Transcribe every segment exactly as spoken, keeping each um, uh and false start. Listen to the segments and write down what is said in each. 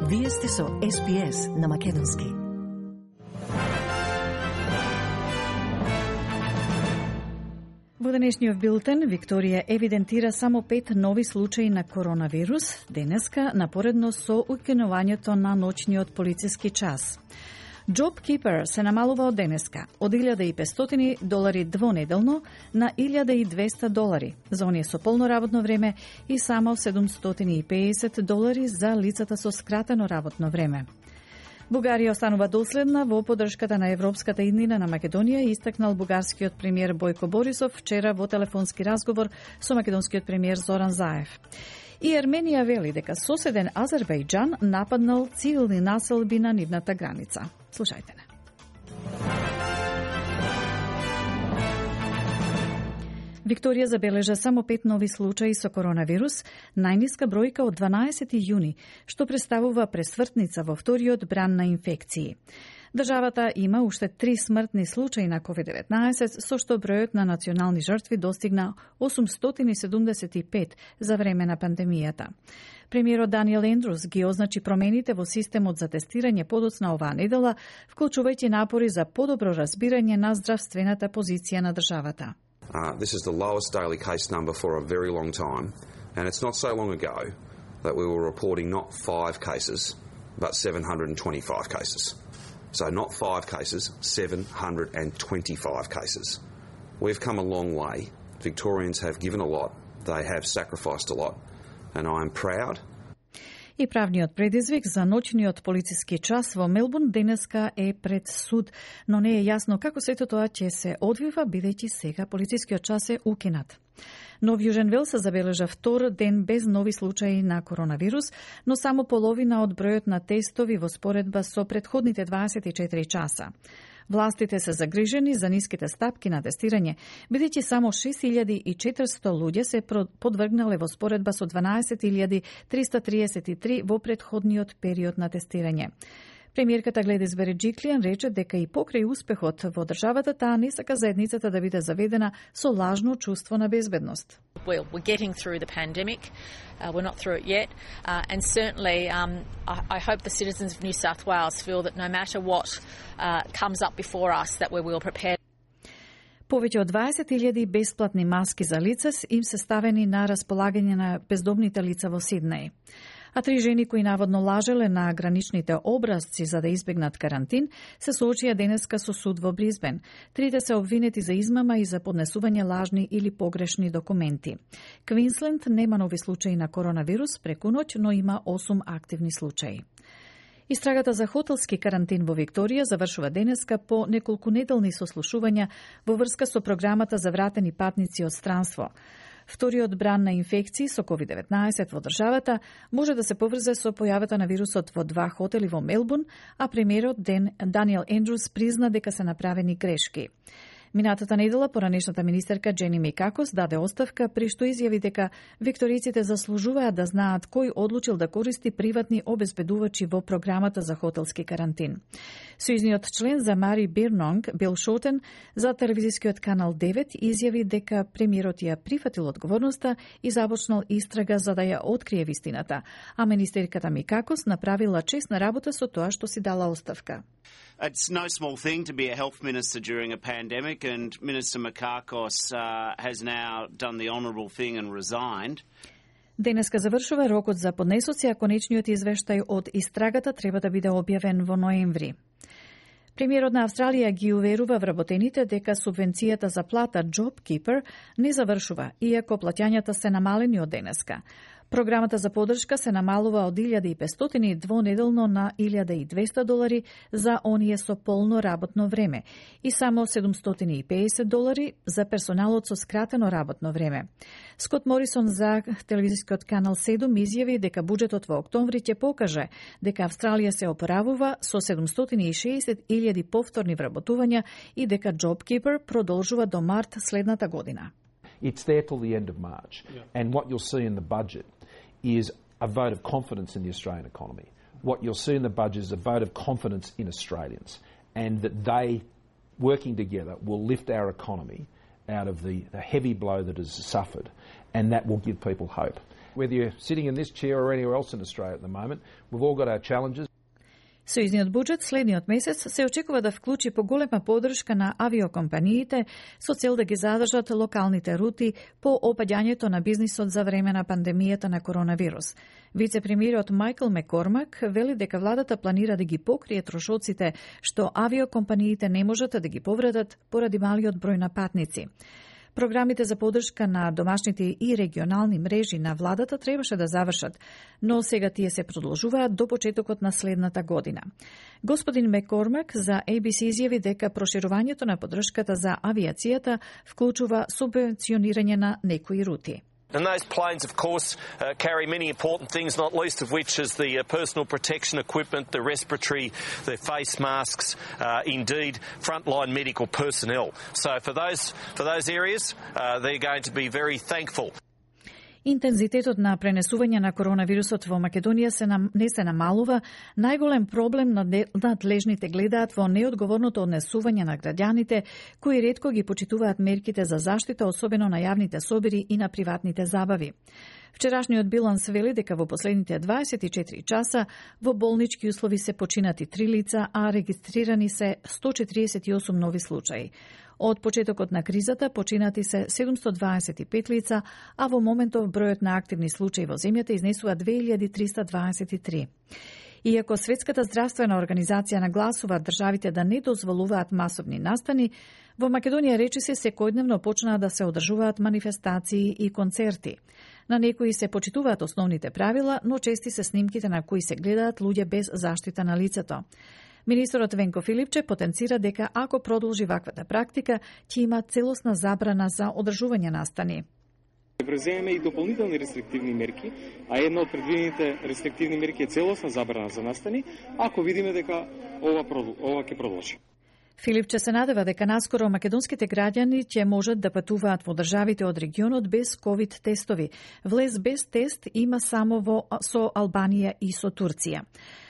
Вие сте со Ес Би Ес на македонски. Во денешниот билтен, Викторија евидентира само пет нови случаи на коронавирус, денеска напоредно со укинувањето на ноќниот полициски час. JobKeeper се намалува од денеска, од илјада и петстотини долари двонеделно на илјада и двесте долари за оние со полно работно време и само седумстотини и педесет долари за лицата со скратено работно време. Бугарија останува доследна во поддршката на европската иднина на Македонија, истакнал бугарскиот премиер Бојко Борисов вчера во телефонски разговор со македонскиот премиер Зоран Заев. И Арменија вели дека соседен Азербејџан нападнал цивилни населби на нивната граница. Слушајте не. Викторија забележа само пет нови случаи со коронавирус, најниска бројка од дванаесети јуни, што представува пресвртница во вториот бран на инфекции. Државата има уште три смртни случаи на ковид деветнаесет, со што бројот на национални жртви достигна осумстотини седумдесет и пет за време на пандемијата. Премиерот Даниел Ендрус ги означи промените во системот за тестирање подоцна оваа недела, вклучувајќи напори за подобро разбирање на здравствената позиција на државата. Uh, this is the lowest daily case number for a very long time, and it's not so long ago that we were reporting not five cases, but seven hundred twenty-five cases. So not five cases, seven hundred twenty-five cases. We've come a long way. Victorians have given a lot, they have sacrificed a lot, and I am proud. И правниот предизвик за ноќниот полициски час во Мелбурн денеска е пред суд, но не е јасно како сето тоа ќе се одвива, бидејќи сега полицискиот час е укинат. Нов Јужен Велс се забележа втор ден без нови случаи на коронавирус, но само половина од бројот на тестови во споредба со претходните дваесет и четири часа. Властите се загрижени за ниските стапки на тестирање, бидејќи само шест илјади и четиристо луѓе се подвргнале во споредба со дванаесет илјади триста триесет и три во претходниот период на тестирање. Премиерката Гледис Береджиклијан рече дека и покрај успехот во државата, таа не сака заедницата да биде заведена со лажно чувство на безбедност. Well, we're getting through the pandemic. Uh, we're not through it yet. Uh, and certainly, um, I, I hope the citizens of New South Wales feel that no matter what uh, comes up before us, that we're well prepared. Повеќе од дваесет илјади бесплатни маски за лица им се ставени на располагање на бездомните лица во Сиднеј. А три жени кои наводно лажеле на граничните образци за да избегнат карантин, се соочија денеска со суд во Бризбен. Трите се обвинети за измама и за поднесување лажни или погрешни документи. Квинсленд нема нови случаи на коронавирус преку ноќ, но има осум активни случаи. Истрагата за хотелски карантин во Викторија завршува денеска по неколку неделни сослушувања во врска со програмата за вратени патници од странство. Вториот бран на инфекции со ковид деветнаесет во државата може да се поврзе со појавата на вирусот во два хотели во Мелбурн, а премиерот Даниел Ендрус призна дека се направени грешки. Минатата недела поранешната министерка Джени Микакос даде оставка, при што изјави дека викториците заслужуваат да знаат кој одлучил да користи приватни обезбедувачи во програмата за хотелски карантин. Сојузниот член за Мари Бирнонг, Бил Шотен, за телевизискиот канал девет изјави дека премиерот ја прифатил одговорноста и започнал истрага за да ја открие вистината, а министерката Микакос направила честна работа со тоа што си дала оставка. It's no small thing to be a health minister during a pandemic, and Minister Mikakos uh, has now done the honourable thing and resigned. Денеска завршува рокот за поднесоци, а конечниот извештај од истрагата треба да биде објавен во ноември. Премиерот на Австралија ги уверува вработените дека субвенцијата за плата JobKeeper не завршува, иако плаќањата се намалени од денеска. Програмата за поддршка се намалува од илјада и петстотини двонеделно на илјада и двесте долари за оние со полно работно време и само седумстотини и педесет долари за персоналот со скратено работно време. Скот Морисон за телевизискиот канал седум изјави дека буџетот во октомври ќе покаже дека Австралија се опоравува со седумстотини и шеесет илјади повторни вработувања и дека JobKeeper продолжува до март следната година. It's there till the end of March. Yeah. And what you'll see in the budget is a vote of confidence in the Australian economy. What you'll see in the budget is a vote of confidence in Australians, and that they, working together, will lift our economy out of the, the heavy blow that has suffered, and that will give people hope. Whether you're sitting in this chair or anywhere else in Australia at the moment, we've all got our challenges. Сојузниот буџет следниот месец се очекува да вклучи поголема поддршка на авиокомпаниите со цел да ги задржат локалните рути по опаѓањето на бизнисот за време на пандемијата на коронавирус. Вице-премиерот Майкл Маккормак вели дека владата планира да ги покрие трошоците што авиокомпаниите не можат да ги повредат поради малиот број на патници. Програмите за поддршка на домашните и регионални мрежи на владата требаше да завршат, но сега тие се продолжуваат до почетокот на следната година. Господин Маккормак за A B C изјави дека проширувањето на поддршката за авиацијата вклучува субвенционирање на некои рути. And those planes, of course, uh, carry many important things, not least of which is the uh, personal protection equipment, the respiratory, the face masks, uh, indeed, frontline medical personnel. So for those, for those areas, uh, they're going to be very thankful. Интензитетот на пренесување на коронавирусот во Македонија се нам, не се намалува. Најголем проблем надлежните гледаат во неодговорното однесување на граѓаните, кои ретко ги почитуваат мерките за заштита, особено на јавните собири и на приватните забави. Вчерашниот биланс вели дека во последните дваесет и четири часа во болнички услови се починати три лица, а регистрирани се сто четириесет и осум нови случаи. Од почетокот на кризата починати се седумстотини дваесет и пет лица, а во моментов бројот на активни случаи во земјата изнесува две илјади триста дваесет и три. Иако Светската здравствена организација нагласува државите да не дозволуваат масовни настани, во Македонија речиси секојдневно почнаа да се одржуваат манифестации и концерти. На некои се почитуваат основните правила, но чести се снимките на кои се гледаат луѓе без заштита на лицето. Министерот Венко Филипче потенцира дека ако продолжи ваквата практика, ќе има целосна забрана за одржување настани. Преземеме и дополнителни рестриктивни мерки, а една од предвидените рестриктивни мерки е целосна забрана за настани, ако видиме дека ова, ова ќе продолжи. Филипче се надева дека наскоро македонските граѓани ќе можат да патуваат во државите од регионот без ковид тестови. Влез без тест има само во со Албанија и со Турција.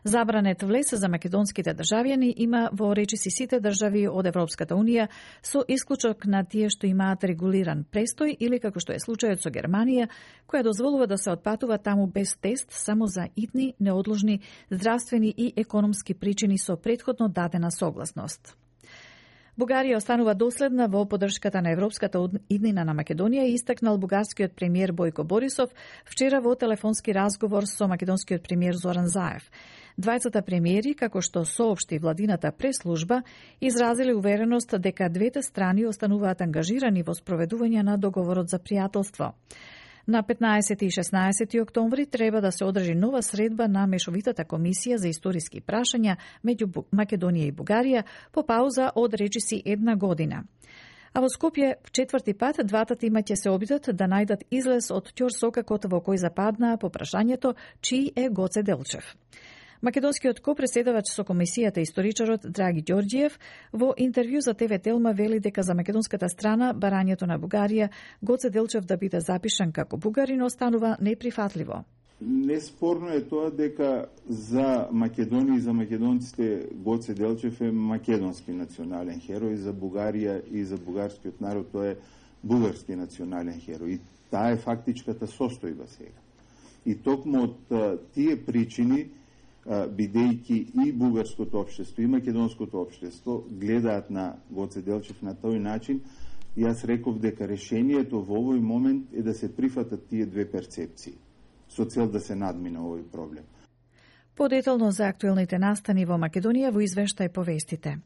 Забранет влез за македонските државјани има во речиси сите држави од Европската Унија, со исклучок на тие што имаат регулиран престој или како што е случајот со Германија, која дозволува да се отпатува таму без тест само за итни, неодложни, здравствени и економски причини со претходно дадена согласност. Бугарија останува доследна во поддршката на европската иднина на Македонија, истакнал бугарскиот премиер Бојко Борисов вчера во телефонски разговор со македонскиот премиер Зоран Заев. Двајцата премиери, како што соопшти владината прес-служба, изразили увереност дека двете страни остануваат ангажирани во спроведување на договорот за пријателство. На петнаесети и шеснаесети октомври треба да се одржи нова средба на Мешовитата комисија за историски прашања меѓу Македонија и Бугарија по пауза од речиси една година. А во Скопје четврти пат двата тима ќе се обидат да најдат излез од ќорсокакот во кој западнаа по прашањето чиј е Гоце Делчев. Македонскиот копреседавач со комисијата историчарот Драги Ѓорѓиев во интервју за Т В Телма вели дека за македонската страна барањето на Бугарија Гоце Делчев да биде запишан како бугарин останува неприфатливо. Неспорно е тоа дека за Македонија и за македонците Гоце Делчев е македонски национален херој, за Бугарија и за бугарскиот народ тоа е бугарски национален херој. И таа е фактичката состојба сега. И токму од тие причини, бидејќи и бугарското општество и македонското општество гледаат на Гоце Делчев на тој начин, јас реков дека решението во овој момент е да се прифатат тие две перцепции со цел да се надмине овој проблем. Подетално за актуелните настани во Македонија во извештај повестите.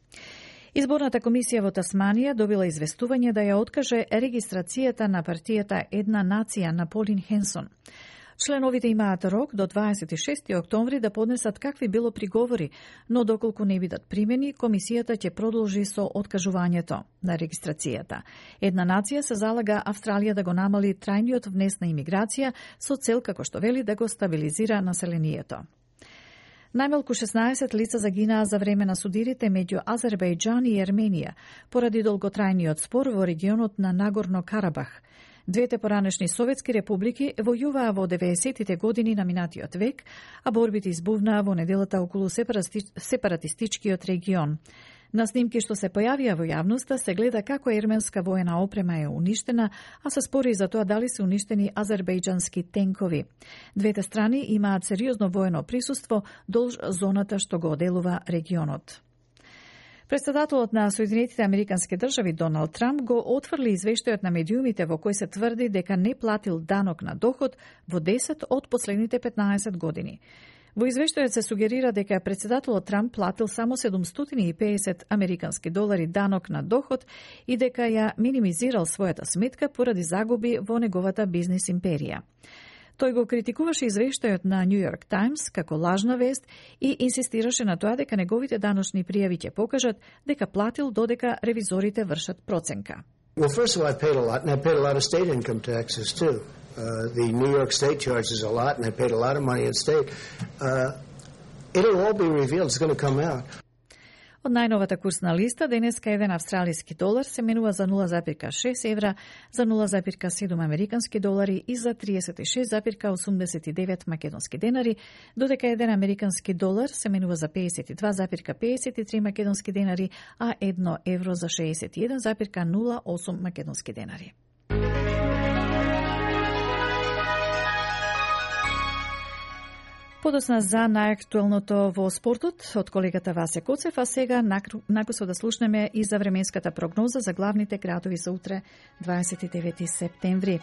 Изборната комисија во Тасманија добила известување да ја откаже регистрацијата на партијата Една нација на Полин Хенсон. Членовите имаат рок до дваесет и шести октомври да поднесат какви било приговори, но доколку не бидат примени, комисијата ќе продолжи со откажувањето на регистрацијата. Една нација се залага Австралија да го намали трајниот внес на имиграција со цел, како што вели, да го стабилизира населението. Најмалку шеснаесет лица загинаа за време на судирите меѓу Азербејџан и Ерменија поради долготрајниот спор во регионот на Нагорно Карабах. Двете поранешни советски републики војуваа во деветдесетите години на минатиот век, а борбите избувнаа во неделата околу сепаратистичкиот регион. На снимки што се појавија во јавноста се гледа како ерменска воена опрема е уништена, а се спори за тоа дали се уништени азербејџански тенкови. Двете страни имаат сериозно воено присуство долж зоната што го оделува регионот. Председателот на Соединетите Американски држави Доналд Трамп го отфрли извештајот на медиумите во кој се тврди дека не платил данок на доход во десет од последните петнаесет години. Во извештајот се сугерира дека председателот Трамп платил само седумстотини и педесет американски долари данок на доход и дека ја минимизирал својата сметка поради загуби во неговата бизнис империја. Тој го критикуваше извештајот на Нью Йорк Таймс како лажна вест и инсистираше на тоа дека неговите даночни пријави ќе покажат дека платил додека ревизорите вршат проценка. Well, first of all, I paid a lot, and I paid a lot of state income taxes too. Uh, the New York State charges a lot, and I paid a lot of money in state. Uh, it'll all be revealed. It's going to come out. Од најновата курсна листа, денеска еден австралиски долар се менува за нула запирка шест евра, за нула запирка седум американски долари и за триесет и шест запирка осумдесет и девет македонски денари, додека еден американски долар се менува за педесет и два запирка педесет и три македонски денари, а едно евро за шеесет и еден запирка нула осум македонски денари. Подосна за најактуелното во спортот од колегата Васе Коцев, а сега накусо да слушнеме и за временската прогноза за главните градови за утре, дваесет и девети септември.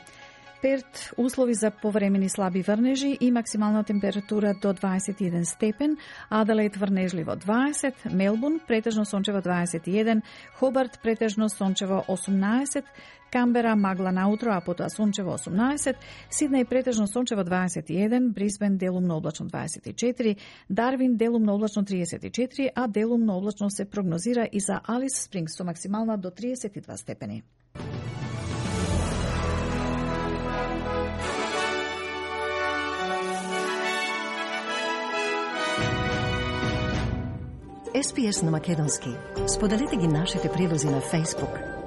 Перт, услови за повремени слаби врнежи и максимална температура до дваесет и еден степен, Аделаид врнежливо дваесет, Мелбурн претежно сончево дваесет и еден, Хобарт претежно сончево осумнаесет, Камбера магла наутро, а потоа сончево осумнаесет, Сиднеј претежно сончево дваесет и еден, Брисбен делумно облачно дваесет и четири, Дарвин делумно облачно триесет и четири, а делумно облачно се прогнозира и за Алис Спрингс со максимална до триесет и два степени. Ес Пи Ес на македонски. Споделете ги нашите прилози на Facebook.